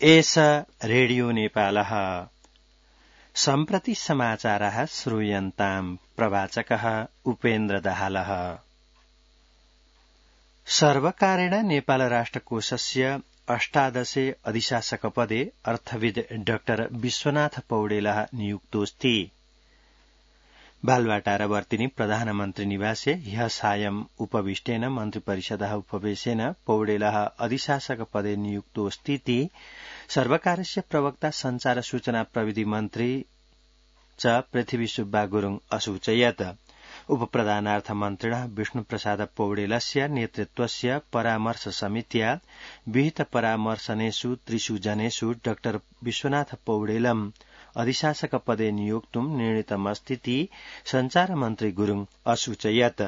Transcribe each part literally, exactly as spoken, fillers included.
एष रेडियो नेपालः सम्प्रति समाचारः श्रूयन्ताम् प्रवाचकः उपेन्द्र दाहालः। सर्वकारेण नेपाल राष्ट्रकोषस्य अष्टादशे अधिशासकपदे अर्थविद डाक्टर विश्वनाथ पौडेलः नियुक्तोऽस्ति। बालवाटारवर्तिनि प्रधानमन्त्री निवासे ह्यः सायं उपविष्टेन मन्त्रिपरिषदः उपवेशेन पौडेलः अधिशासकपदे नियुक्तोऽस्तीति सर्वकारस्य प्रवक्ता संचार सूचना प्रविधि मन्त्री च पृथ्वी सुब्बा गुरुङ असूचयत्। उपप्रधानार्थ मन्त्रिणः विष्णुप्रसाद पौडेलस्य नेतृत्वस्य परामर्श समित्या विहित परामर्शनेषु त्रिषु जनेषु डाक्टर विश्वनाथ पौडेलम् अधिशासकपदे निर्णीतुम् निर्णीतमस्तीति संचार मन्त्री गुरुङ असूचयत्।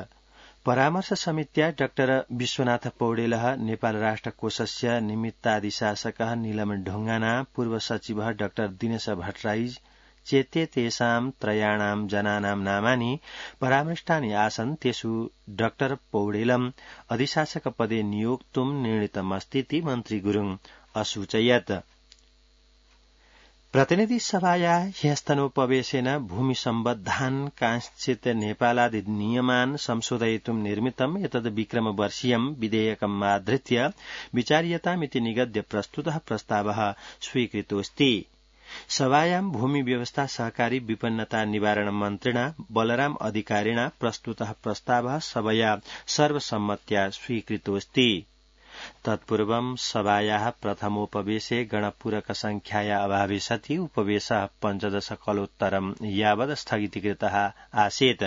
परामर्श समित्या डाक्टर विश्वनाथ पौडेलः नेपाल राष्ट्रकोषस्य निमित्ताधिशासकः नीलम ढुङ्गाना पूर्व सचिवः डाक्टर दिनेश भट्टराई चेते तेषां त्रयाणां जनानां नामानि परामृष्टानि आसन्। तेषु डाक्टर पौडेलम् अधिशासकपदे नियोक्तुम् निर्णीतमस्तीति मन्त्री गुरुङ असूचयत्। प्रतिनिधि सभाया ह्यस्तनोपवेशेन भूमि सम्बद्धान् कांश्चित् नेपालादि नियमान् संशोधयितुम् निर्मितम् एतद् विक्रमवर्षीयम् विधेयकम् आधृत्य विचार्यतामिति निगद्य प्रस्तुतः प्रस्तावः स्वीकृतोऽस्ति। सभायां भूमि व्यवस्था सहकारी विपन्नता निवारण मन्त्रिणा बलराम अधिकारिणा प्रस्तुतः प्रस्तावः सभया सर्वसम्मत्या स्वीकृतोऽस्ति। तत्पूर्वं सभायाः प्रथमोपवेशे गणपूरक संख्याया अभावे सति उपवेशः पञ्चदश कलोत्तरम् यावत् स्थगितीकृतः आसीत्।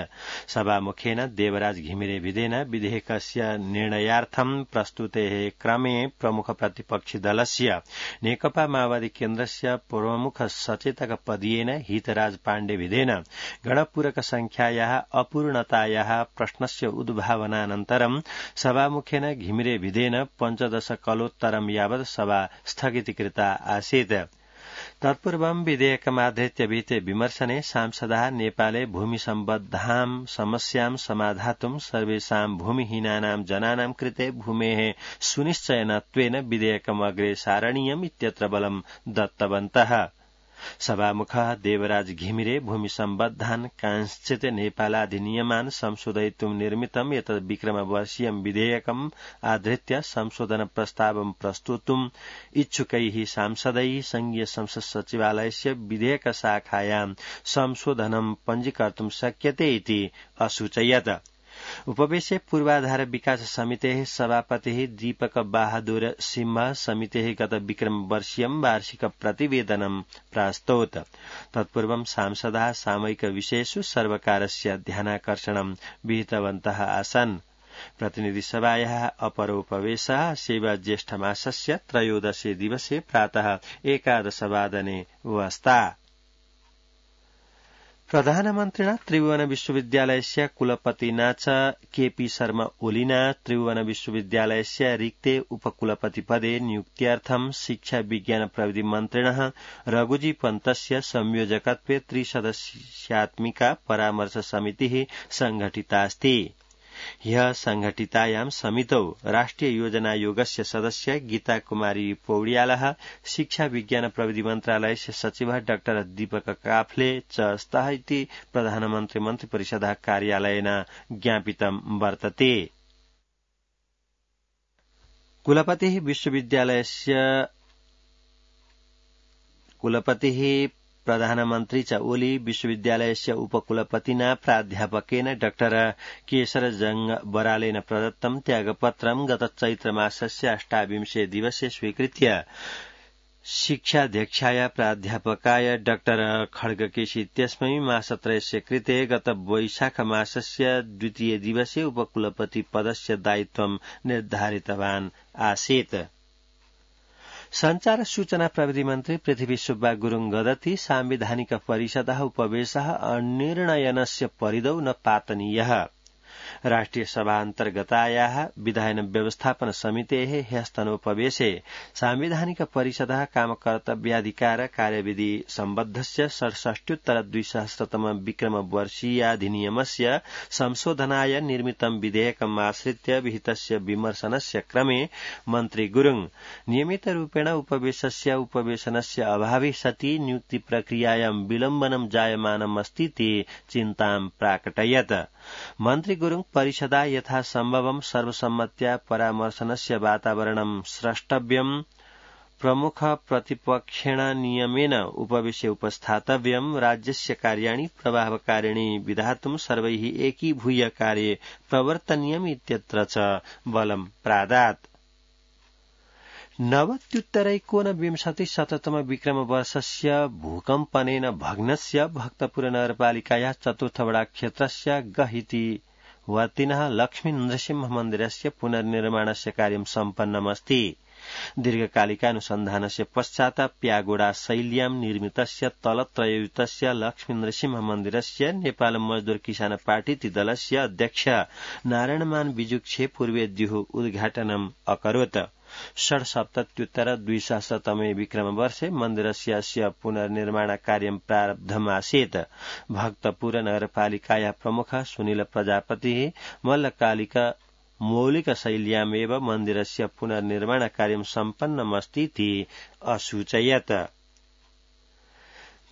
सभामुखेन देवराज घिमिरे विधेन विधेयकस्य निर्णयार्थं प्रस्तुतेः क्रमे प्रमुख प्रतिपक्षी दलस्य नेकपा माओवादी केन्द्रस्य प्रमुख सचेतक पदीयेन हितराज पाण्डे विधेन गणपूरक संख्यायाः अपूर्णतायाः प्रश्नस्य उद्भावनानन्तरं सभामुखेन घिमिरे विधेन पञ्चदश कलोत्तरं यावत् सभा स्थगितीकृता आसीत्। तत्पूर्वं विधेयकमाधृत्य विहिते विमर्शने सांसदाः नेपाले भूमि सम्बद्धां समस्यां समाधातुं सर्वेषां भूमिहीनानां जनानां कृते भूमेः सुनिश्चयनत्वेन विधेयकम् अग्रे सारणीयम् इत्यत्र बलं दत्तवन्तः। सभामुखः देवराज घिमिरे भूमि सम्बद्धान् कांश्चित् नेपालाधिनियमान् संशोधयितुं निर्मितम् एतद् विक्रमवर्षीयम् विधेयकम् आधृत्य संशोधन प्रस्तावं प्रस्तोतुम् इच्छुकैः सांसदैः संघीय संसद सचिवालयस्य विधेयक शाखायां संशोधनं पञ्जीकर्तुं शक्यते इति असूचयत्। उपवेशे पूर्वाधार विकास समितेः सभापतिः दीपक बहादुर सिंह समितेः गत विक्रमवर्षीयं वार्षिक प्रतिवेदनं प्रास्तौत्। तत्पूर्वं सांसदाः सामयिक विषयेषु सर्वकारस्य ध्यानाकर्षणं विहितवन्तः आसन्। प्रतिनिधि सभायाः अपरोपवेशः सेवा ज्येष्ठमासस्य त्रयोदशे दिवसे प्रातः एकादशवादने वस्ता। प्रधानमन्त्रिणा त्रिभुवन विश्वविद्यालयस्य कुलपतिना च केपी शर्मा ओलीना त्रिभुवन विश्वविद्यालयस्य रिक्ते उपकुलपतिपदे नियुक्त्यर्थं शिक्षा विज्ञान प्रविधि मन्त्रिणः रघुजी पन्तस्य संयोजकत्वे त्रिसदस्यात्मिका परामर्श समितिः संघटितास्ति। ह्यः संघटितायां समितौ राष्ट्रिय योजनायोगस्य सदस्य गीता कुमारी पौड्यालः शिक्षा विज्ञान प्रविधि मन्त्रालयस्य सचिवः डाक्टर दीपक काफ्ले च स्तः इति प्रधानमन्त्री मन्त्रिपरिषदः कार्यालयेन ज्ञापितं वर्तते। कुलपतिः विश्वविद्यालयस्य कुलपतिः प्रधानमन्त्री च ओली विश्वविद्यालयस्य उपकुलपतिना प्राध्यापकेन डाक्टर केशरजंग बरालेन प्रदत्तं त्यागपत्रं गत चैत्रमासस्य अष्टाविंशे दिवसे स्वीकृत्य शिक्षाध्यक्षाय प्राध्यापकाय डाक्टर खड्गकेशी इत्यस्मै मासत्रयस्य कृते गत वैशाखमासस्य द्वितीय दिवसे उपकुलपति पदस्य दायित्वं निर्धारितवान् आसीत्। संचार सूचना प्रविधि मन्त्री पृथ्वी सुब्बा गुरुङ गदति सांविधानिक परिषदः उपवेशः अनिर्णयनस्य परिधौ न पातनीयः। राष्ट्रिय सभान्तर्गतायाः विधायन व्यवस्थापन समितेः ह्यस्तनोपवेशे साम्विधानिक परिषदः कामकर्तव्याधिकार कार्यविधि सम्बद्धस्य षड्षष्ट्युत्तर द्विसहस्रतम विक्रमवर्षीयाधिनियमस्य संशोधनाय निर्मितं विधेयकमाश्रित्य विहितस्य विमर्शनस्य क्रमे मन्त्री गुरुङ नियमितरूपेण उपवेशस्य उपवेशनस्य अभावे सति नियुक्ति प्रक्रियायां विलम्बनं जायमानमस्तीति चिन्तां प्राकटयत्। मन्त्री गुरुङ परिषदा यथासम्भवं सर्वसम्मत्या परामर्शनस्य वातावरणं स्रष्टव्यम्, प्रमुख प्रतिपक्षेण नियमेन उपवेशे उपस्थातव्यम्, राज्यस्य कार्याणि प्रभावकारिणी विधातुं सर्वैः एकीभूय कार्ये प्रवर्तनीयम् इत्यत्र च बलं प्रादात्। नवत्युत्तरैकोनविंशतिशततम विक्रमवर्षस्य भूकम्पनेन भग्नस्य भक्तपुर नगरपालिकायाः चतुर्थवडा क्षेत्रस्य गहिति वर्तिनः लक्ष्मी नृसिंह मन्दिरस्य पुनर्निर्माणस्य कार्यं सम्पन्नमस्ति। दीर्घकालिकानुसन्धानस्य पश्चात् प्यागोडा शैल्यां निर्मितस्य तलत्रययुतस्य लक्ष्मी नृसिंह मन्दिरस्य नेपाल मजदूर किसान पार्टी दलस्य अध्यक्ष नारायणमान बिजुक्षे पूर्वेद्युः उद्घाटनम् अकरोत्। षड्सप्तत्युत्तर द्विसहस्रतमे विक्रमवर्षे मन्दिरस्य अस्य पुनर्निर्माण कार्यं प्रारब्धमासीत्। भक्तपुर नगरपालिकायाः प्रमुख सुनील प्रजापतिः मल्लकालिक मौलिकशैल्यामेव मन्दिरस्य पुनर्निर्माण कार्यं सम्पन्नमस्तीति असूचयत्।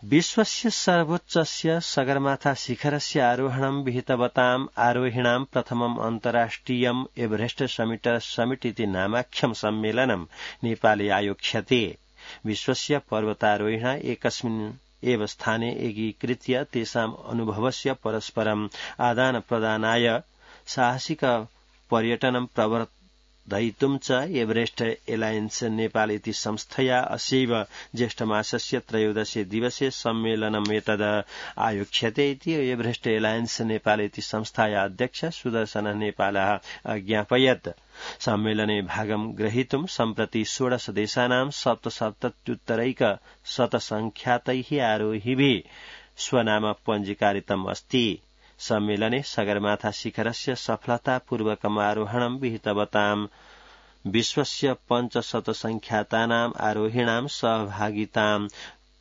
विश्वस्य सर्वोच्चस्य सगरमाथा शिखरस्य आरोहणं विहितवताम् आरोहिणां प्रथमम् अन्तर्राष्ट्रियम् एवरेस्ट समिट समिट इति नामाख्यं सम्मेलनं नेपाले आयोक्ष्यते। विश्वस्य पर्वतारोहिणा एकस्मिन् एव स्थाने एकीकृत्य तेषाम् अनुभवस्य परस्परम् आदानप्रदानाय साहसिक पर्यटनं प्रवर्धयितुं च एवरेस्ट एलायन्स नेपाल इति संस्थया अस्यैव ज्येष्ठमासस्य त्रयोदशे दिवसे सम्मेलनमेतद् आयोक्ष्यते इति एवरेस्ट एलायन्स नेपाल इति संस्थाया अध्यक्ष सुदर्शन नेपालः अज्ञापयत्। सम्मेलने भागं ग्रहीतुं सम्प्रति षोडश देशानां सप्तसप्तत्युत्तरैक शतसंख्यातैः आरोहिभिः स्वनाम पञ्जीकारितम् अस्ति। सम्मेलने सगरमाथा शिखरस्य सफलतापूर्वकम् आरोहणं विहितवताम् विश्वस्य पञ्चशतसंख्यातानाम् आरोहिणां सहभागितां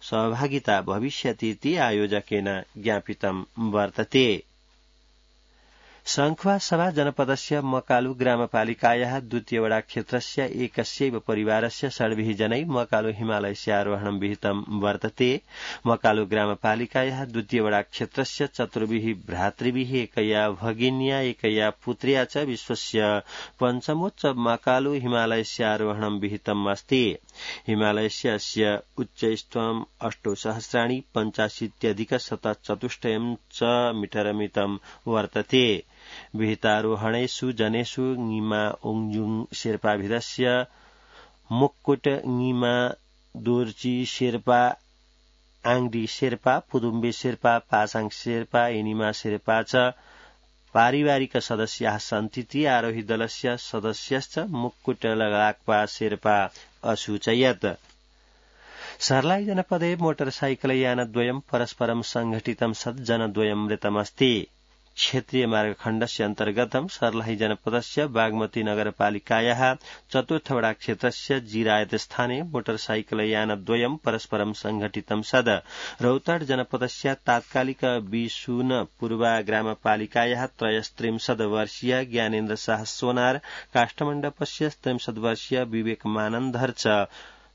सहभागिता भविष्यतीति आयोजकेन ज्ञापितं वर्तते। सङ्खुवासभा जनपदस्य मकालु ग्रामपालिकायाः द्वितीयवडा क्षेत्रस्य एकस्यैव परिवारस्य षड्भिः जनै मकालु हिमालयस्य आरोहणं विहितं वर्तते। मकालु ग्रामपालिकायाः द्वितीयवडा क्षेत्रस्य चतुर्भिः भ्रातृभिः एकया भगिन्या एकया पुत्र्या च विश्वस्य पञ्चमोच्च मकालु हिमालयस्य आरोहणं विहितम् अस्ति। हिमालयस्य अस्य उच्चैस्त्वम् अष्टोसहस्राणि पञ्चाशीत्यधिक शतचतुष्टयं च मीटरमितं वर्तते। विहितारोहणेषु जनेषु ङिमा ओङजुङ शेर्पाभिधस्य मुक्कुट ङिमा दोर्ची शेर्पा आङडी शेर्पा पुदुम्बे शेर्पा पासाङ शेर्पा एनिमा शेर्पा च पारिवारिक सदस्याः सन्तीति आरोही दलस्य सदस्यश्च मुक्कुट लगाक्पा शेर्पा असूचयत्। सर्लाई जनपदे मोटरसाइकलयानद्वयं परस्परं संघटितं सत् जनद्वयं मृतमस्ति। क्षेत्रीय मार्गखण्डस्य अन्तर्गतं सर्लाही जनपदस्य बागमती नगरपालिकायाः चतुर्थवडा क्षेत्रस्य जिरायत स्थाने मोटरसाइकलयानद्वयं परस्परं संघटितं सद् रौतड जनपदस्य तात्कालिक बिशुन पूर्वा ग्रामपालिकायाः त्रयस्त्रिंशत् वर्षीय ज्ञानेन्द्र शाह सोनार काष्ठमण्डपस्य त्रिंशत् वर्षीय विवेक मानन्धर च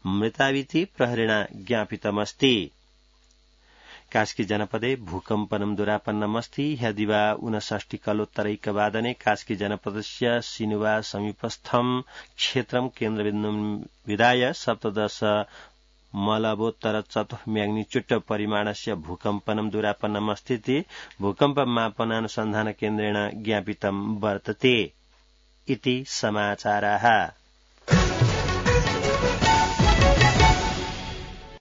मृताविति प्रहरेण ज्ञापितमस्ति। कास्की जनपदे भूकम्पनं दुरापन्नमस्ति। ह्यदिवा ऊनषष्टि कलोत्तरैकवादने कास्की जनपदस्य सिनुवा समीपस्थं क्षेत्रं केन्द्रबिन्दुं विधाय सप्तदश मलबोत्तर चतुः म्याग्निच्यूड परिमाणस्य भूकम्पनं दुरापन्नमस्तीति भूकम्पमापनानुसन्धान केन्द्रेण ज्ञापितं वर्तते। इति समाचाराः।